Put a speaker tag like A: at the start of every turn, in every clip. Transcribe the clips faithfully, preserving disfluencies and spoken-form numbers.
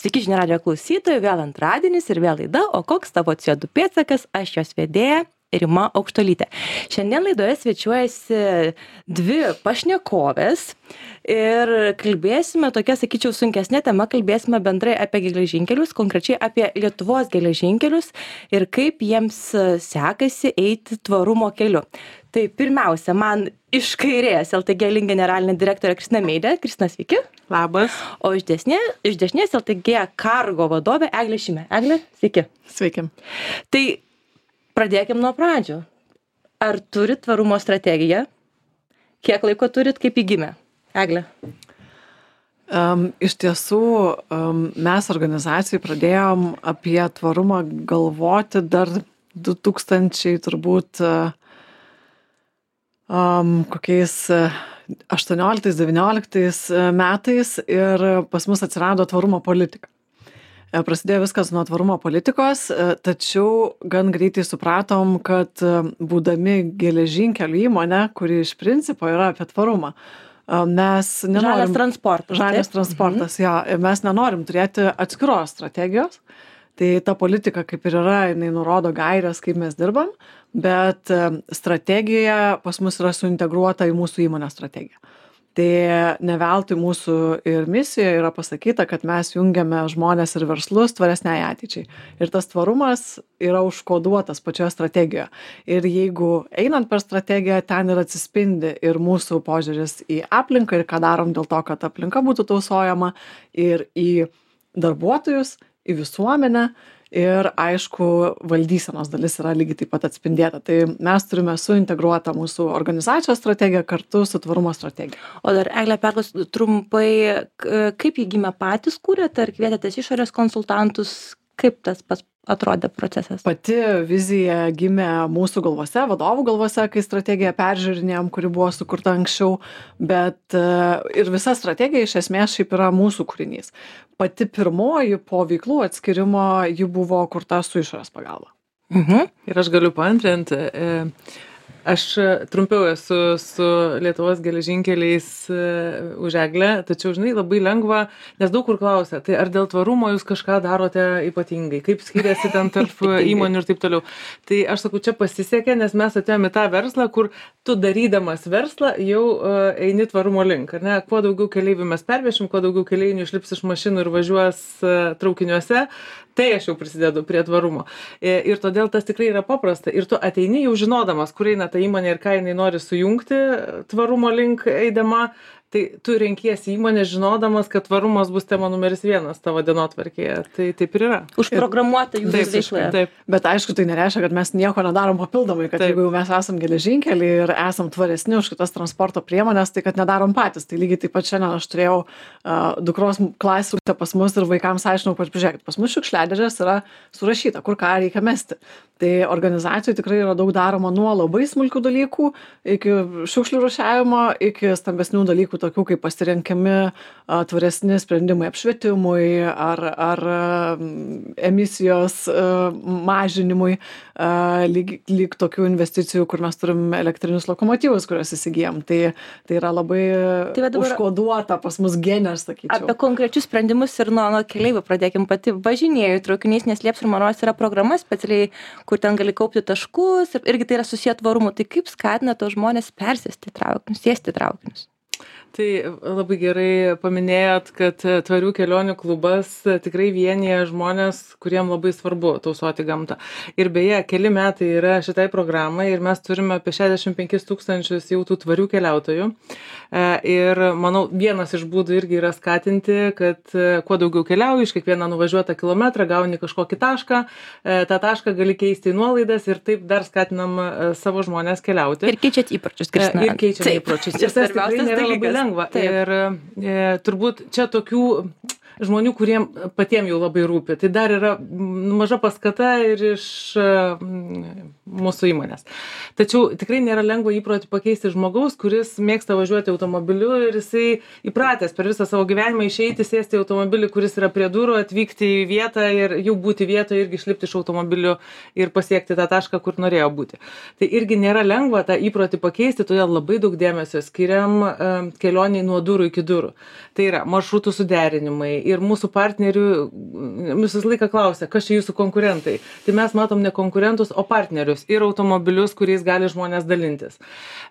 A: Sveiki žinių radijo klausytojai, vėl antradienis ir vėl laida, o koks tavo C O du pėdsakas, aš jos vedėja Rima Aukštuolytė. Šiandien laidoje svečiuojasi dvi pašnekovės ir kalbėsime tokia, sakyčiau, sunkesnė tema, kalbėsime bendrai apie geležinkelius, konkrečiai apie Lietuvos geležinkelius ir kaip jiems sekasi eiti tvarumo keliu. Tai pirmiausia, man iš kairės L T G Link generalinė direktorė Kristina Meidė. Kristina, sveiki.
B: Labas.
A: O iš dešinės, iš dešinės L T G Cargo vadovė Eglė Šimė. Eglė, sveiki.
B: Sveiki.
A: Tai pradėkim nuo pradžių. Ar turit tvarumo strategiją? Kiek laiko turit, kaip įgimė? Eglė.
B: Um, iš tiesų, um, mes organizacijai pradėjom apie tvarumą galvoti dar du tūkstančiai turbūt uh, um, kokiais uh, aštuonioliktais devynioliktais metais ir pas mus atsirado tvarumo politika. Prasidėjo viskas nuo tvarumo politikos, tačiau gan greitai supratom, kad būdami geležinkelių įmonė, kuri iš principo yra apie tvarumą, mes nenorim...
A: Žalias transportas.
B: Žalias transportas, mhm. jo. Mes nenorim turėti atskiros strategijos. Tai ta politika kaip ir yra, jinai nurodo gairias, kaip mes dirbam, bet strategija pas mus yra suintegruota į mūsų įmonės strategiją. Tai ne veltui mūsų ir misijoje yra pasakyta, kad mes jungiame žmonės ir verslus tvaresniai ateičiai. Ir tas tvarumas yra užkoduotas pačioje strategijoje. Ir jeigu einant per strategiją, ten ir atsispindi ir mūsų požiūris į aplinką ir ką darom dėl to, kad aplinka būtų tausojama, ir į darbuotojus, į visuomenę. Ir aišku, valdysenos dalis yra lygiai taip pat atspindėta. Tai mes turime suintegruotą mūsų organizacijos strategiją kartu su tvarumo strategija.
A: O dar, Eglė, perklaus trumpai, kaip jį gimė patys kūrėt, ar kvietėtės išorės konsultantus, kaip tas pas atrodė procesas?
B: Pati vizija gimė mūsų galvose, vadovų galvose, kai strategiją peržiūrinėjom, kuri buvo sukurta anksčiau, bet ir visa strategija iš esmės šiaip yra mūsų kūrinys. Pati pirmoji po veiklų atskirimo ji buvo kurta su išorės pagalba.
A: Mhm.
C: Ir aš galiu paantrinti. Aš trumpiau esu su Lietuvos geležinkeliais už Eglę, tačiau, žinai, labai lengva, nes daug kur klausia, tai ar dėl tvarumo jūs kažką darote ypatingai, kaip skiriasi ten tarp įmonių ir taip toliau. Tai aš sakau, čia pasisekė, nes mes atėjome į tą verslą, kur tu darydamas verslą jau eini tvarumo link, ar ne? Kuo daugiau keleivių mes pervešim, kuo daugiau keleivių išlips iš mašinų ir važiuos traukiniuose, tai aš jau prisidedu prie tvarumo. Ir todėl tas tikrai yra paprasta. Ir tu ateini jau žinodamas, kur eina ta įmonė ir ką jinai nori sujungti tvarumo link eidama, tai tu renkiesi įmonę žinodamas, kad tvarumas bus tema numeris vienas tavo dienotvarkėje. Tai taip ir yra.
A: Užprogramuota jūsų veikloje.
C: Taip.
B: Bet aišku, tai nereiškia, kad mes nieko nedarom papildomai, kad taip. Jeigu mes esam geležinkeliai ir esam tvaresni už kitas transporto priemonės, tai kad nedarom patys. Tai lygiai taip pat šiandien aš turėjau uh, dukros klasėse pas mus ir vaikams aiškinau, kad pažiūrėkit, pas mus šiukšliadėžės yra surašyta, kur ką reikia mesti. Tai organizacijų tikrai yra daug daroma nuo labai smulkių dalykų iki šiukšlių rūšiavimo, iki stambesnių dalykų, tokių kaip pasirenkami a, tvaresni sprendimai apšvietimui ar, ar a, emisijos a, mažinimui, a, lyg, lyg tokių investicijų, kur mes turim elektrinius lokomotyvus, kuriuos įsigijam. Tai, tai yra labai tai dabar užkoduota pas mus genės, sakyčiau.
A: Apie konkrečius sprendimus ir nuo, nuo keleivių pradėkim. Pati važinėju traukiniais, nes Lieps ir Maros yra programa specialiai, kur ten gali kaupti taškus ir irgi tai yra susiję tvarumu. Tai kaip skatina tos žmonės persėsti traukinius, sėsti traukinius?
C: Tai labai gerai paminėjot, kad tvarių kelionių klubas tikrai vienyje žmonės, kuriem labai svarbu tausoti gamtą. Ir beje, keli metai yra šitai programai ir mes turime apie šešiasdešimt penkis tūkstančius jau tų tvarių keliautojų. Ir manau, vienas iš būdų irgi yra skatinti, kad kuo daugiau keliauji, iš kiekvieną nuvažiuotą kilometrą gauni kažkokį tašką, tą tašką gali keisti į nuolaidas ir taip dar skatinam savo žmonės keliauti.
A: Ir keičiat įpročius, Kristina.
C: Ir keičiam įpročius. Ir tas tikrai nėra labai lengva. Taip. Ir e, turbūt čia tokių žmonių, kuriem patiem jau labai rūpi. Tai dar yra maža paskata ir iš mūsų įmonės. Tačiau tikrai nėra lengva įprotį pakeisti žmogaus, kuris mėgsta važiuoti automobiliu ir jisai įpratęs per visą savo gyvenimą išeiti, sėsti į automobilį, kuris yra prie durų, atvykti į vietą ir jau būti vietoje irgi išlipti iš automobilio ir pasiekti tą tašką, kur norėjo būti. Tai irgi nėra lengva tą įprotį pakeisti, todėl labai daug dėmesio skiriam kelionei nuo durų iki durų. Tai yra maršrutų suderinimai, ir mūsų partnerių visą laiką klausia, kas čia jūsų konkurentai. Tai mes matom ne konkurentus, o partnerius ir automobilius, kuriais gali žmonės dalintis.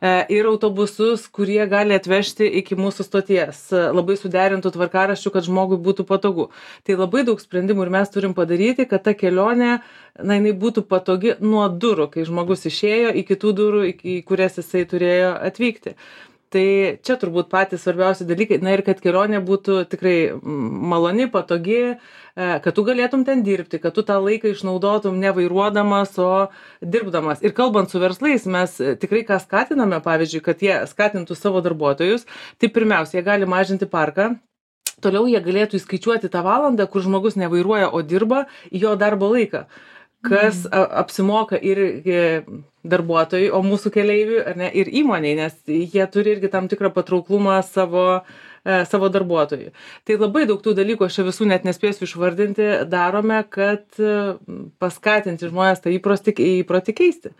C: Ir autobusus, kurie gali atvežti iki mūsų stoties. Labai suderintų tvarkaraščių, kad žmogui būtų patogu. Tai labai daug sprendimų ir mes turim padaryti, kad ta kelionė, na, jinai būtų patogi nuo durų, kai žmogus išėjo iki tų durų, į kurias jisai turėjo atvykti. Tai čia turbūt patys svarbiausi dalykai, na ir kad kelionė būtų tikrai maloni, patogi, kad tu galėtum ten dirbti, kad tu tą laiką išnaudotum ne vairuodamas, o dirbdamas. Ir kalbant su verslais, mes tikrai ką skatiname, pavyzdžiui, kad jie skatintų savo darbuotojus, tai pirmiausia, jie gali mažinti parką. Toliau jie galėtų įskaičiuoti tą valandą, kur žmogus nevairuoja, o dirba, į jo darbo laiką. Kas apsimoka ir darbuotojai, o mūsų keleivių, ar ne, ir įmoniai, nes jie turi irgi tam tikrą patrauklumą savo, savo darbuotojų. Tai labai daug tų dalykų, aš čia visų net nespėsiu išvardinti, darome, kad paskatinti žmonės tą įprotį, įprotį keisti.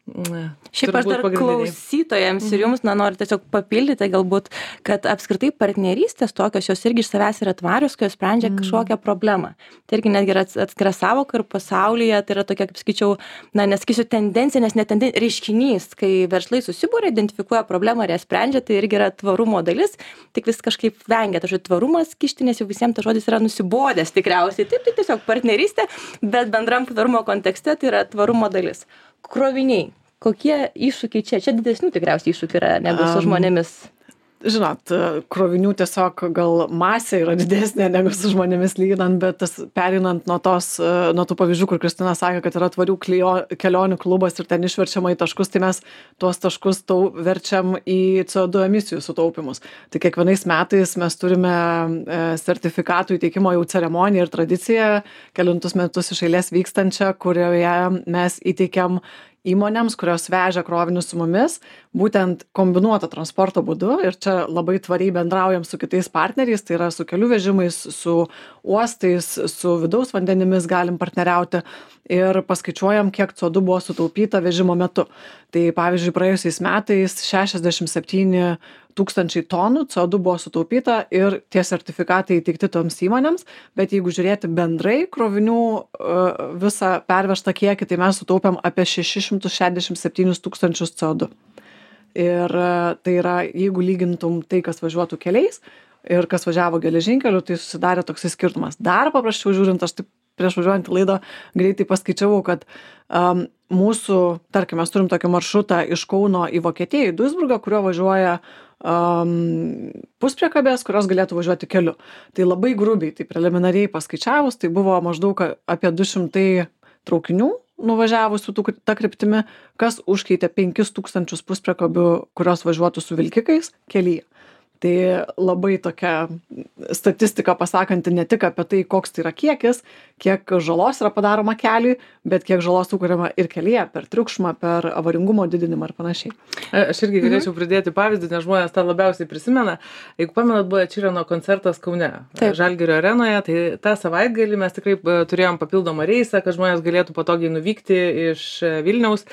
A: Šiaip aš dar klausytojams ir jums, na, noriu tiesiog papildyti galbūt, kad apskritai partnerystės tokios, jos irgi iš savęs yra tvarios, kai jos sprendžia kažkokią problemą. Tai irgi netgi yra atskira savoka ir pasaulyje, tai yra tokia, kaip skaičiau, na, nesakysiu tendencija, nes ne tendencija, reiškinys, kai verslai susibūrė, identifikuoja problemą ir ją sprendžia, tai irgi yra tvarumo dalis, tik vis kažkaip vengia. Tai žodžiu, tvarumas kišti, nes jau visiems tas žodis yra nusibodęs tikriausiai. Taip, tai tiesiog partnerystė, bet bendram tvarumo kontekste tai yra tvarumo dalis. Kroviniai. Kokie iššūkiai čia? Čia didesnių tikriausiai iššūkių yra negu su žmonėmis.
B: Žinot, krovinių tiesiog gal masė yra didesnė negu su žmonėmis lyginant, bet tas perinant nuo, tos, nuo tų pavyzdžių, kur Kristina sakė, kad yra tvarių klio, kelionių klubas ir ten išverčiama į taškus, tai mes tuos taškus tau verčiam į C O du emisijų sutaupimus. Tai kiekvienais metais mes turime sertifikatų įteikimo jau ceremoniją ir tradiciją, kelintus metus iš eilės vykstančią, kurioje mes įteikiam įmonėms, kurios vežia krovinius su mumis, būtent kombinuoto transporto būdu ir čia labai tvariai bendraujam su kitais partneriais, tai yra su kelių vežimais, su uostais, su vidaus vandenimis galim partneriauti ir paskaičiuojam, kiek C O du buvo sutaupyta vežimo metu. Tai pavyzdžiui, praėjusiais metais šešiasdešimt septyni tūkstančiai tonų C O du buvo sutaupyta ir tie sertifikatai įteikti toms įmonėms, bet jeigu žiūrėti bendrai krovinių visą pervežtą kiekį, tai mes sutaupėm apie šešis šimtus šešiasdešimt septynis tūkstančius C O du. Ir tai yra, jeigu lygintum tai, kas važiuotų keliais ir kas važiavo geležinkeliu, tai susidarė toksai skirtumas. Dar paprasčiau žiūrint, aš taip prieš važiuojant į laidą greitai paskaičiavau, kad um, mūsų, tarkim, mes turim tokį maršrutą iš Kauno į Vokietiją, į Duisburgą, kurio važiuoja um, puspriekabės, kurios galėtų važiuoti keliu. Tai labai grubiai, tai preliminariai paskaičiavus, tai buvo maždaug apie du šimtai traukinių nuvažiavusių tą kryptimi, kas užkeitė penkis tūkstančius puspriekabių, kurios važiuotų su vilkikais kelyje. Tai labai tokia statistika pasakanti ne tik apie tai, koks tai yra kiekis, kiek žalos yra padaroma keliui, bet kiek žalos sukuriama ir kelyje per triukšmą, per avaringumo didinimą ir panašiai.
C: Aš irgi galėčiau pridėti pavyzdį, nes žmonės tą labiausiai prisimena. Jeigu pamenat, buvo Čireno koncertas Kaune, Taip. Žalgirio arenoje, tai tą savaitgalį mes tikrai turėjom papildomą reisą, kad žmonės galėtų patogiai nuvykti iš Vilniaus.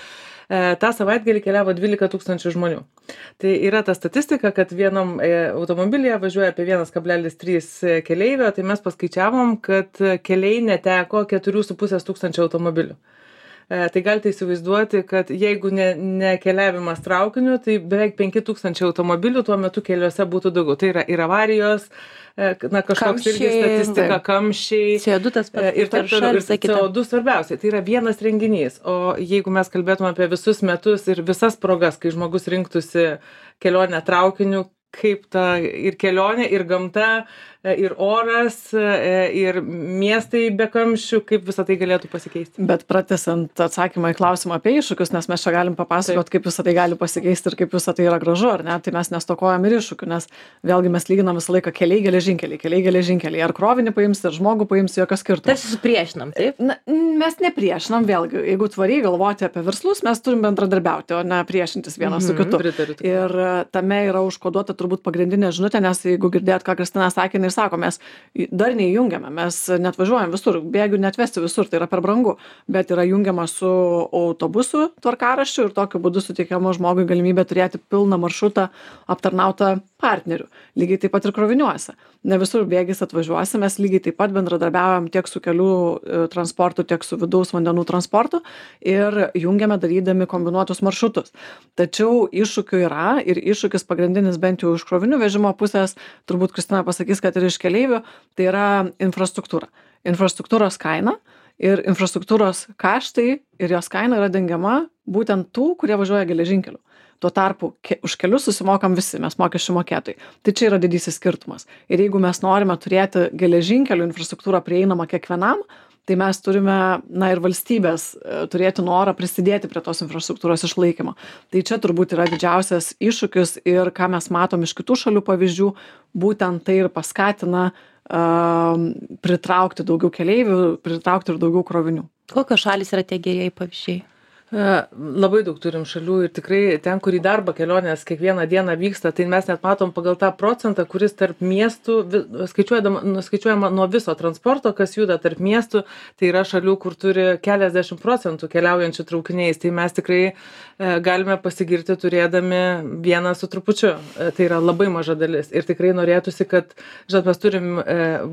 C: tą savaitgalį keliavo dvylika tūkstančių žmonių. Tai yra ta statistika, kad vienam automobilyje važiuoja apie vienas kablelis trys keleivio, tai mes paskaičiavom, kad keliai neteko keturių su pusės tūkstančio automobilių. Tai galite įsivaizduoti, kad jeigu ne, ne keliavimas traukiniu, tai beveik penki tūkstančiai automobilių tuo metu keliuose būtų daugiau. Tai yra ir avarijos, na, kažkoks irgi statistika, kamščiai.
A: C O du tas pats.
C: Ir taip toliau. Ir C O du svarbiausia. Tai yra vienas renginys. O jeigu mes kalbėtume apie visus metus ir visas progas, kai žmogus rinktųsi kelionę traukiniu, kaip ta ir kelionė, ir gamta, ir oras, ir miestai be kamščių, kaip visą tai galėtų pasikeisti.
B: Bet pratęsiant atsakymą į klausimą apie iššūkius, nes mes čia galim papasakot, kaip visą tai gali pasikeisti ir kaip visą tai yra gražu, ar ne? Tai mes nestokojam ir iššūkių, nes vėlgi mes lyginam visą laiką keliai geležinkeliai, keliai geležinkeliai. Ar krovinį paims, ar žmogų paims, jokio skirtumo.
A: Tarsi supriešinam, taip?
B: Na, mes nepriešinam, vėlgi, jeigu tvariai galvoti apie verslus, mes turim bendradarbiauti, o ne priešintis vienas mm-hmm, su kitu.
C: Pritariu.
B: Ir tame yra užkoduota turbūt pagrindinė žinutė, nes jeigu girdėt, ką Kristina sakė, jis sako, mes dar neįjungiame, mes net važiuojam visur, bėgių netvesti visur, tai yra per brangu, bet yra jungiama su autobusu tvarkaraščiu ir tokiu būdu suteikiama žmogui galimybė turėti pilną maršrutą aptarnautą partnerių. Lygiai taip pat ir kroviniuose. Ne visur bėgis atvažiuosi, mes lygiai taip pat bendradarbiaujam tiek su kelių transportu, tiek su vidaus vandenų transportu ir jungiame darydami kombinuotus maršrutus. Tačiau iššūkių yra ir iššūkis pagrindinis bent jau iš krovinių vežimo pusės, turbūt Kristina pasakys, kad ir iš keleivių, tai yra infrastruktūra. Infrastruktūros kaina ir infrastruktūros kaštai ir jos kaina yra dengiama būtent tų, kurie važiuoja geležinkeliu. Tuo tarpu ke, už kelius susimokam visi, mes mokesčių mokėtojai. Tai čia yra didysis skirtumas. Ir jeigu mes norime turėti geležinkelių infrastruktūrą prieinamą kiekvienam, tai mes turime, na ir valstybės, turėti norą prisidėti prie tos infrastruktūros išlaikymo. Tai čia turbūt yra didžiausias iššūkis ir ką mes matom iš kitų šalių pavyzdžių, būtent tai ir paskatina uh, pritraukti daugiau keleivių, pritraukti ir daugiau krovinių.
A: Kokios šalys yra tie gerieji pavyzdžiai?
C: Labai daug turim šalių ir tikrai ten, kur į darbą kelionės kiekvieną dieną vyksta, tai mes net matom pagal tą procentą, kuris tarp miestų, skaičiuojama nuo viso transporto, kas juda tarp miestų, tai yra šalių, kur turi keliasdešimt procentų keliaujančių traukiniais, tai mes tikrai galime pasigirti turėdami vieną su trupučiu. Tai yra labai maža dalis ir tikrai norėtųsi, kad, žinot, mes turim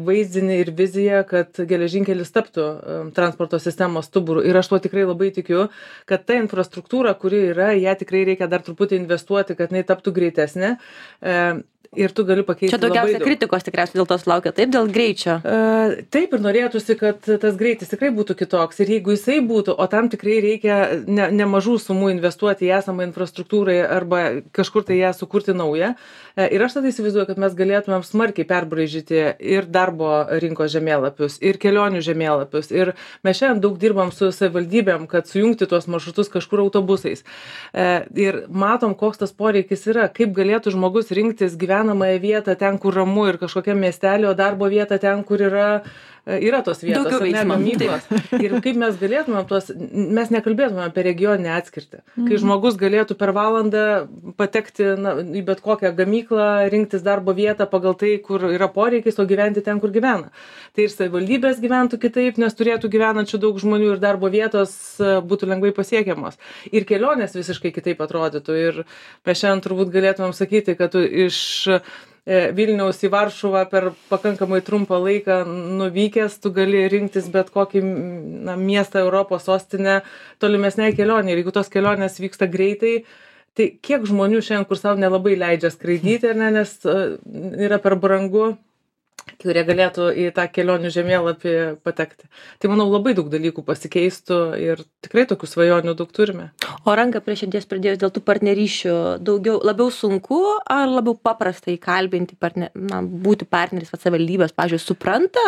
C: vaizdinį ir viziją, kad geležinkelis taptų transporto sistemos stuburu ir aš tuo tikrai labai tikiu, kad ta infrastruktūra, kuri yra, ją tikrai reikia dar truputį investuoti, kad jinai taptų greitesnė. E, ir tu gali pakeisti.
A: Čia daugiausia kritikos tikriausiai dėl to sulaukia, taip, dėl greičio.
C: E, taip ir norėtųsi, kad tas greitis tikrai būtų kitoks. Ir jeigu jisai būtų, o tam tikrai reikia ne, nemažų sumų investuoti į esamą infrastruktūrą arba kažkur tai ją sukurti naują. E, ir aš tada įsivaizduoju, kad mes galėtumėm smarkiai perbraižyti ir darbo rinkos žemėlapius, ir kelionių žemėlapius. Ir mes šiandien daug dirbam su savivaldybėm, kad sujungti tuos maršrutus kažkur autobusais. E, ir matom, koks tas poreikis yra, kaip galėtų žmogus rinktis gyvenamąją vietą ten, kur ramu ir kažkokiam miestelio, o darbo vietą ten, kur yra, yra tos vietos,
A: daugiau veiksmo,
C: gamyklos. Ir kaip mes galėtumėm tuos, mes nekalbėtumėm apie regioninę atskirtį. Mm. Kai žmogus galėtų per valandą patekti na, į bet kokią gamyklą, rinktis darbo vietą pagal tai, kur yra poreikis, o gyventi ten, kur gyvena. Tai ir savivaldybės gyventų kitaip, nes turėtų gyvenančių daug žmonių ir darbo vietos būtų lengvai pasiekiamos. Ir kelionės visiškai kitaip atrodytų. Ir mes šiandien turbūt galėtumėm sakyti, kad tu iš Vilniaus į Varšuvą per pakankamai trumpą laiką nuvykęs, tu gali rinktis bet kokį na, miestą, Europos sostinę tolimesniai kelionė. Ir jeigu tos kelionės vyksta greitai, tai kiek žmonių šiandien, kur savo nelabai leidžia skraidyti, ne, nes yra per brangu, kurie galėtų į tą kelionių žemėlapį patekti. Tai manau labai daug dalykų pasikeistų ir tikrai tokių svajonių daug turime.
A: O ranką prie širdies pridėjus dėl tų partnerysčių, daugiau, labiau sunku ar labiau paprasta įkalbinti, partner, na, būti partneris, va, savivaldybės, pavyzdžiui, supranta,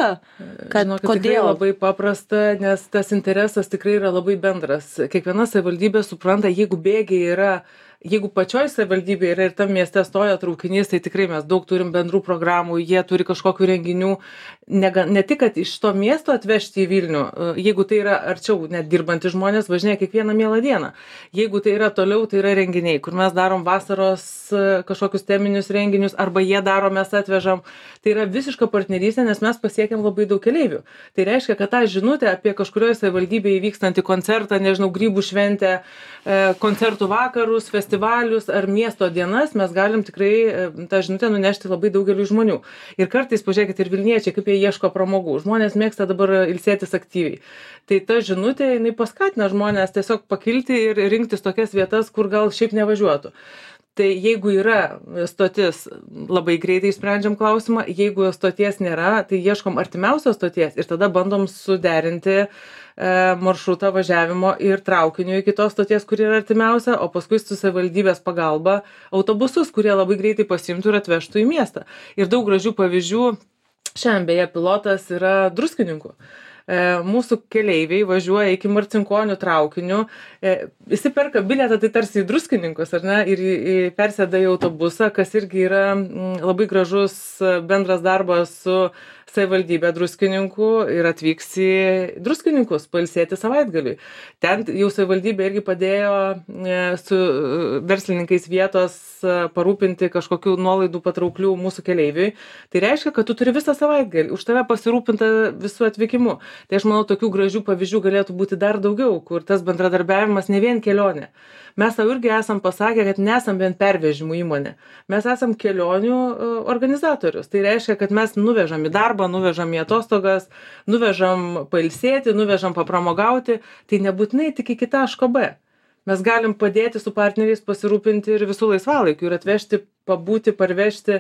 A: kad
C: Žinokit,
A: kodėl?
C: Tikrai labai paprasta, nes tas interesas tikrai yra labai bendras. Kiekviena savivaldybė supranta, jeigu bėgiai yra Jeigu pačioj savivaldybėje yra ir tam mieste stoja traukinys, tai tikrai mes daug turim bendrų programų, jie turi kažkokių renginių, ne, ne tik, kad iš to miesto atvežti į Vilnių, jeigu tai yra arčiau, net dirbantys žmonės važinėja kiekvieną mielą dieną. Jeigu tai yra toliau, tai yra renginiai, kur mes darom vasaros kažkokius teminius renginius, arba jie daro, mes atvežam. Tai yra visiška partnerystė, nes mes pasiekėm labai daug keleivių. Tai reiškia, kad tą žinutę apie kažkurioje savivaldybėje įvykstantį koncertą, nežinau, grybų šventę, koncertų vakarus, festivalius ar miesto dienas, mes galim tikrai tą žinutę nunešti labai daugeliu žmonių. Ir kartais, pažiūrėkit, ir vilniečiai, kaip jie ieško pramogų. Žmonės mėgsta dabar ilsėtis aktyviai. Tai ta žinutė, jinai paskatina žmonės tiesiog pakilti ir rinktis tokias vietas, kur gal šiaip nevažiuotų. Tai jeigu yra stotis, labai greitai sprendžiam klausimą, jeigu stoties nėra, tai ieškom artimiausios stoties ir tada bandom suderinti e, maršrutą važiavimo ir traukiniu iki tos stoties, kur yra artimiausia, o paskui su savivaldybės pagalba autobusus, kurie labai greitai pasimtų ir atvežtų į miestą. Ir daug gražių pavyzdžių, šiandien beje pilotas yra Druskininkų. Mūsų keleiviai važiuoja iki Marcinkonių traukiniu, įsiperka bilietą tai tarsi į Druskininkus, ar ne, ir persėda į autobusą, kas irgi yra labai gražus bendras darbas su savivaldybę Druskininkų ir atvyks į Druskininkus pailsėti savaitgaliui. Ten jau savivaldybė irgi padėjo su verslininkais vietos parūpinti kažkokių nuolaidų patrauklių mūsų keleiviui. Tai reiškia, kad tu turi visą savaitgalį, už tave pasirūpinta visų atvykimu. Tai aš manau, tokių gražių pavyzdžių galėtų būti dar daugiau, kur tas bendradarbiavimas ne vien kelionė. Mes savo irgi esam pasakę, kad nesam vien pervežimų įmonė. Mes esam kelionių organizatorius. Tai reiškia, kad mes nuvežam į darbą, nuvežam į atostogas, nuvežam pailsėti, nuvežam papramogauti. Tai nebūtinai tik iki taško B. Mes galim padėti su partneriais pasirūpinti ir visų laisvalaikių ir atvežti, pabūti, parvežti.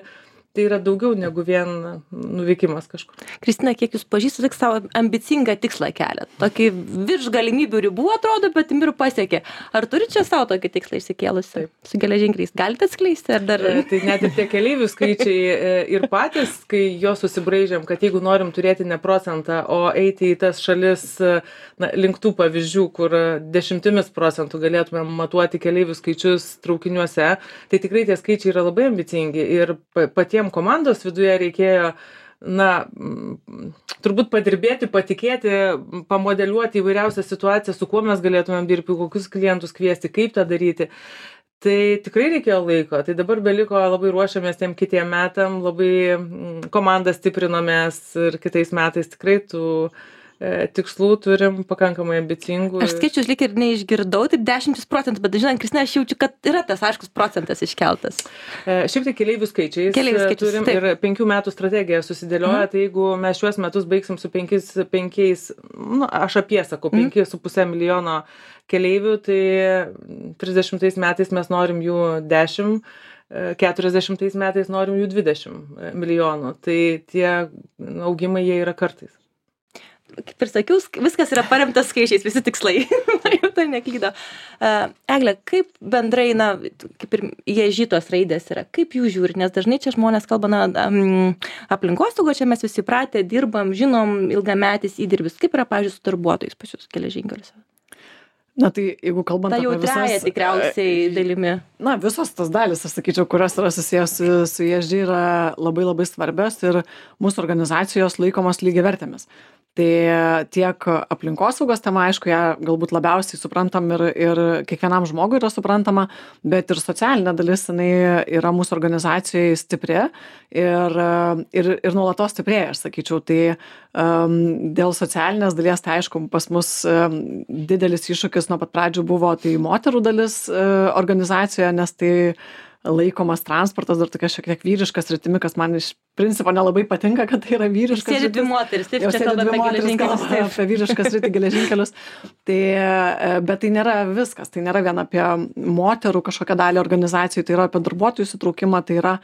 C: Tai yra daugiau negu vien nuvykimas kažkur.
A: Kristina, kiek jūs pažįstate, tik savo ambicingą tikslą keliat. Tokį virš galimybių ribų atrodo, bet ir pasiekė. Ar turi čia savo tokį tikslą išsikėlusi su geležinkeliais? Galite atskleisti? Ar dar...
C: Tai net ir tie keleivių skaičiai ir patys, kai jo susibraižėm, kad jeigu norim turėti ne procentą, o eiti į tas šalis na, link tų pavyzdžių, kur dešimtimis procentų galėtume matuoti keleivių skaičius traukiniuose, tai tikrai tie skaičiai yra labai ambicingi ir patiems komandos viduje reikėjo, na, turbūt padirbėti, patikėti, pamodeliuoti įvairiausią situaciją, su kuo mes galėtumėm dirbti, kokius klientus kviesti, kaip tą daryti. Tai tikrai reikėjo laiko. Tai dabar beliko, labai ruošiamės tiem kitiem metam, labai komandą stiprinomės ir kitais metais tikrai tų tikslų turim pakankamai ambicingų.
A: Aš skaičius lyg ir neišgirdau, taip dešimtis procentų, bet žinant, Kristina, aš jaučiu, kad yra tas aiškus procentas iškeltas.
C: E, šiaip tai keleivių skaičiais, keleivių skaičiais turim taip. Ir penkių metų strategiją susidėlioja, mhm. Tai jeigu mes šiuos metus baigsim su penkiais, penkiais nu, aš apie sakau, mhm. penki su pusė milijono keleivių, tai trisdešimtais metais mes norim jų dešimt, keturiasdešimtais metais norim jų dvidešimt milijonų. Tai tie augimai jie yra kartais.
A: Kaip ir sakiau, viskas yra paremtas skaičiais, visi tikslai. Jau tai neklydo. Uh, Egle, kaip bendrai, na, kaip ir ježytos raidės yra, kaip jų žiūri, nes dažnai čia žmonės kalba, na, um, aplinkosaugo, čia mes visi pratę, dirbam, žinom, ilgametis įdirbis. Kaip yra, pavyzdžiui, su darbuotojais pas jūs geležinkeliuose?
B: Na tai jeigu kalbant
A: ta
B: apie
A: visas... Ta jautriaja tikriausiai dalimi.
B: Na, visos tas dalis, aš sakyčiau, kurios yra susijęs su, su E S G yra labai labai svarbios ir mūsų organizacijos laikomos lygiavertėmis. Tai tiek aplinkosaugos tema, aišku, ją galbūt labiausiai suprantam ir, ir kiekvienam žmogui yra suprantama, bet ir socialinė dalis, jinai yra mūsų organizacijoje stipri ir, ir, ir nuolatos stiprėja, aš sakyčiau. Tai um, dėl socialinės dalies, tai aišku, pas mus um, didelis iššūkis nuo pat pradžių buvo tai moterų dalis uh, organizacijoje, nes tai laikomas transportas dar tokia šiek tiek vyriškas rytimi, kas man iš principo nelabai patinka, kad tai yra vyriškas.
A: Sėdi dvi moteris, taip, čia kalba apie geležinkelius.
B: Taip, apie vyriškas rytį geležinkelius. Tai, bet tai nėra viskas, tai nėra vien apie moterų kažkokią dalį organizacijų, tai yra apie darbuotojų įsitraukimą, tai yra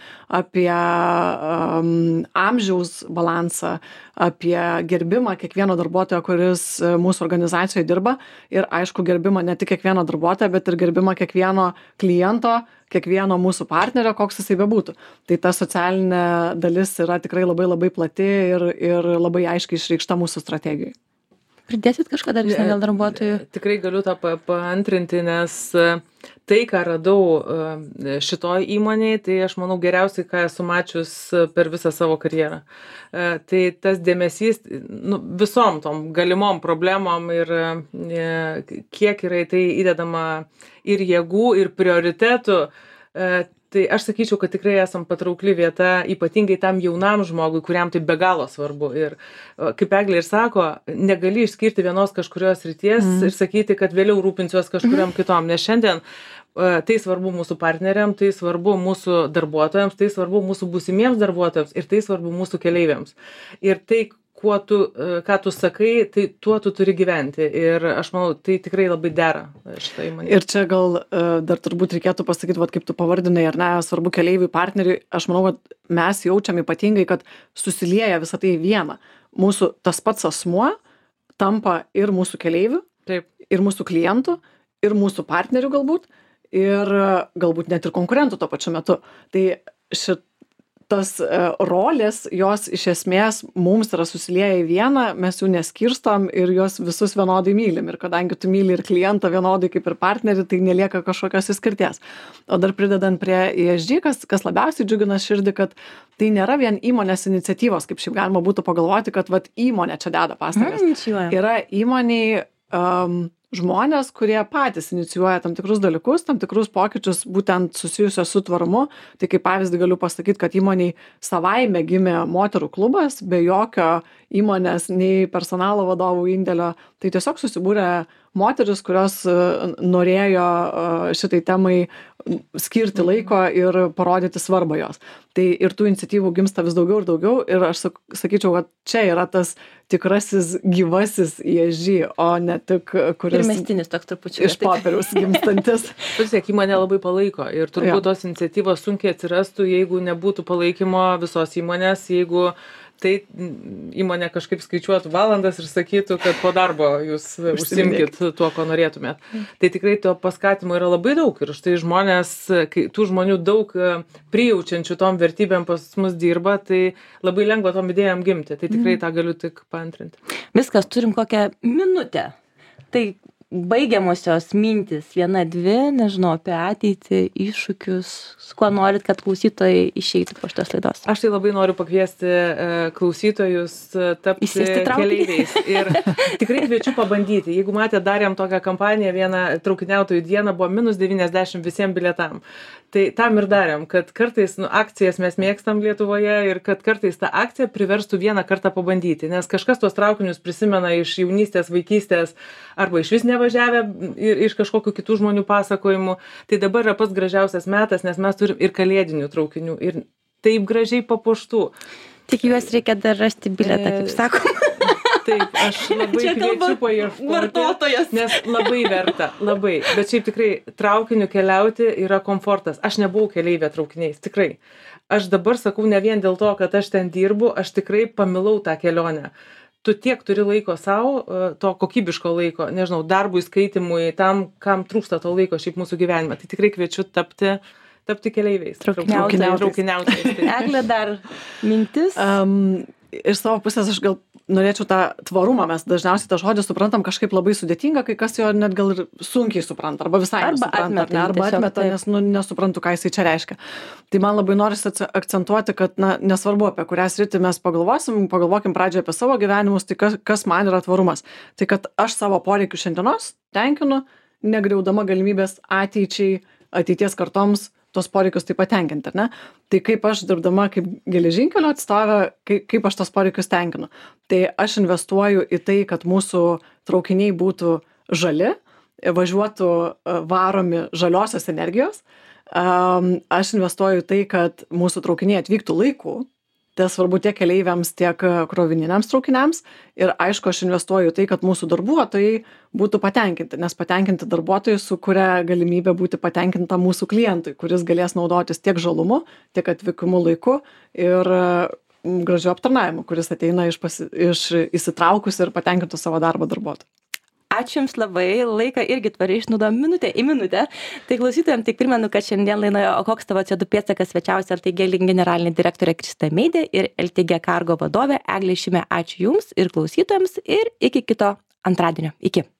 B: apie um, amžiaus balansą, apie gerbimą kiekvieno darbuotojo, kuris mūsų organizacijoje dirba ir aišku gerbimą ne tik kiekvieno darbuotojo, bet ir gerbimą kiekvieno kliento, kiekvieno mūsų partnerio, koks jisai bebūtų. Tai ta socialinė dalis yra tikrai labai labai plati ir, ir labai aiškiai išreikšta mūsų strategijoje.
A: Pridėsit kažką dar dėl darbuotojų?
C: Tikrai galiu tą paantrinti, nes tai, ką radau šitoj įmonėje, tai aš manau geriausiai, ką esu mačius per visą savo karjerą. Tai tas dėmesys nu, visom tom galimom problemom ir kiek yra tai įdedama ir jėgų, ir prioritetų. Tai aš sakyčiau, kad tikrai esam patraukli vieta, ypatingai tam jaunam žmogui, kuriam tai be galo svarbu. Ir kaip Eglė ir sako, negali išskirti vienos kažkurios srities mm. ir sakyti, kad vėliau rūpinsiuos kažkuriam kitom. Nes šiandien tai svarbu mūsų partneriam, tai svarbu mūsų darbuotojams, tai svarbu mūsų būsimiems darbuotojams ir tai svarbu mūsų keleiviams. Ir tai, kuo tu, ką tu sakai, tai tuo tu turi gyventi. Ir aš manau, tai tikrai labai dera šitą įmonę.
B: Ir čia gal dar turbūt reikėtų pasakyti, vat, kaip tu pavardinai, ar ne, svarbu keleiviui, partneriui. Aš manau, kad mes jaučiam ypatingai, kad susilieja visą tai į vieną. Mūsų tas pats asmuo tampa ir mūsų keleivių,
C: taip,
B: ir mūsų klientų, ir mūsų partnerių galbūt, ir galbūt net ir konkurentų tuo pačiu metu. Tai šit tos rolės, jos iš esmės mums yra susilieję į vieną, mes jų neskirstom ir juos visus vienodai mylim. Ir kadangi tu myli ir klientą vienodai kaip ir partnerį, tai nelieka kažkokios įskirties. O dar pridedant prie E S G, kas, kas labiausiai džiugina širdį, kad tai nėra vien įmonės iniciatyvos, kaip šiaip galima būtų pagalvoti, kad vat, įmonė čia deda pastangas.
A: Mm,
B: yra įmoniai um, žmonės, kurie patys inicijuoja tam tikrus dalykus, tam tikrus pokyčius būtent susijusios su tvarumu. Tai kaip pavyzdį galiu pasakyti, kad įmoniai savaime gimė moterų klubas, be jokio įmonės nei personalo vadovų indėlio. Tai tiesiog susibūrė moteris, kurios norėjo šitai temai skirti laiko ir parodyti svarbą jos. Tai ir tų iniciatyvų gimsta vis daugiau ir daugiau ir aš sakyčiau, kad čia yra tas tikrasis gyvasis E S G, o ne tik kuris
A: Pirmestinis toks trupučiu.
B: iš popieriaus gimstantis.
C: Pasiek, įmonė labai palaiko ir turbūt
B: Jo.
C: tos iniciatyvos sunkiai atsirastų, jeigu nebūtų palaikymo visos įmonės, jeigu tai įmonė kažkaip skaičiuotų valandas ir sakytų, kad po darbo jūs užsimkit tuo, ko norėtumėt. Tai tikrai to paskatimo yra labai daug ir štai žmonės, kai tų žmonių daug prijaučiančių tom vertybėm pas mus dirba, tai labai lengva tom idėjom gimti. Tai tikrai tą galiu tik paantrinti.
A: Viskas, turim kokią minutę. Tai baigiamosios mintis, viena, dvi, nežinau, apie ateitį, iššūkius, su kuo norit, kad klausytojai išeitų po šitos laidos.
C: Aš tai labai noriu pakviesti e, klausytojus e, tapti
A: Įsėsti traukinį.
C: keleiviais. Ir tikrai kviečiu pabandyti. Jeigu matėte, darėm tokią kampaniją, vieną traukiniautojų dieną buvo minus devyniasdešimt visiems bilietam. Tai tam ir darėm, kad kartais nu, akcijas mes mėgstam Lietuvoje ir kad kartais ta akcija priverstų vieną kartą pabandyti. Nes kažkas tuos traukinius prisimena iš jaunystės, vaikystės arba iš vis nevažiavę ir iš kažkokių kitų žmonių pasakojimų. Tai dabar yra pats gražiausias metas, nes mes turim ir kalėdinių traukinių ir taip gražiai papuoštų.
A: Tik juos reikia dar rasti bilietą, kaip sakom.
C: Taip, aš labai
A: Čia kalba
C: kviečiu paieškoti,
A: vartotojas.
C: nes labai verta, labai. Bet šiaip tikrai traukiniu keliauti yra komfortas. Aš nebuvau keleivė traukiniais, tikrai. Aš dabar sakau ne vien dėl to, kad aš ten dirbu, aš tikrai pamilau tą kelionę. Tu tiek turi laiko savo, to kokybiško laiko, nežinau, darbui, skaitimui, tam, kam trūksta to laiko šiaip mūsų gyvenime. Tai tikrai kviečiu tapti, tapti keleiviais.
A: Traukiniautojais.
C: Traukiniautojais. Tai.
A: Eglė, dar mintis?
B: Um, iš savo pusės aš gal norėčiau tą tvarumą, mes dažniausiai tą žodį suprantam kažkaip labai sudėtinga, kai kas jo net gal ir sunkiai supranta, arba visai
A: Arba
B: nesupranta,
A: atmeta jį
B: arba
A: tiesiog,
B: atmeta,
A: taip.
B: nes nu, nesuprantu, ką jisai čia reiškia. Tai man labai norisi akcentuoti, kad na, nesvarbu, apie kurią sritį mes pagalvosim, pagalvokim pradžioje apie savo gyvenimus, tai kas, kas man yra tvarumas. Tai kad aš savo poreikių šiandienos tenkinu, negriaudama galimybės ateičiai, ateities kartoms tos poreikius taip patenkinti, ar ne? Tai kaip aš dirbdama kaip geležinkelio atstovė, kaip, kaip aš tos poreikius tenkinu. Tai aš investuoju į tai, kad mūsų traukiniai būtų žali, važiuotų varomi žaliosios energijos. Aš investuoju į tai, kad mūsų traukiniai atvyktų laiku. Tai svarbu tiek keleiviams, tiek krovininiams traukiniams. Ir aišku, aš investuoju į tai, kad mūsų darbuotojai būtų patenkinti, nes patenkinti darbuotojai sukuria galimybę būti patenkinta mūsų klientui, kuris galės naudotis tiek žalumu, tiek atvykimu laiku ir gražiu aptarnavimu, kuris ateina iš, pasi, iš įsitraukus ir patenkintų savo darbo darbuotojų.
A: Ačiū Jums labai, laiką irgi tvariai išnaudojom minutę į minutę. Tai klausytojams tik primenu, kad šiandien laidoje O koks tavo C O du pėdsakas svečiavosi L T G generalinė direktorė Krista Meidė ir L T G Cargo vadovė Eglė Šimė. Ačiū Jums ir klausytojams ir iki kito antradienio. Iki.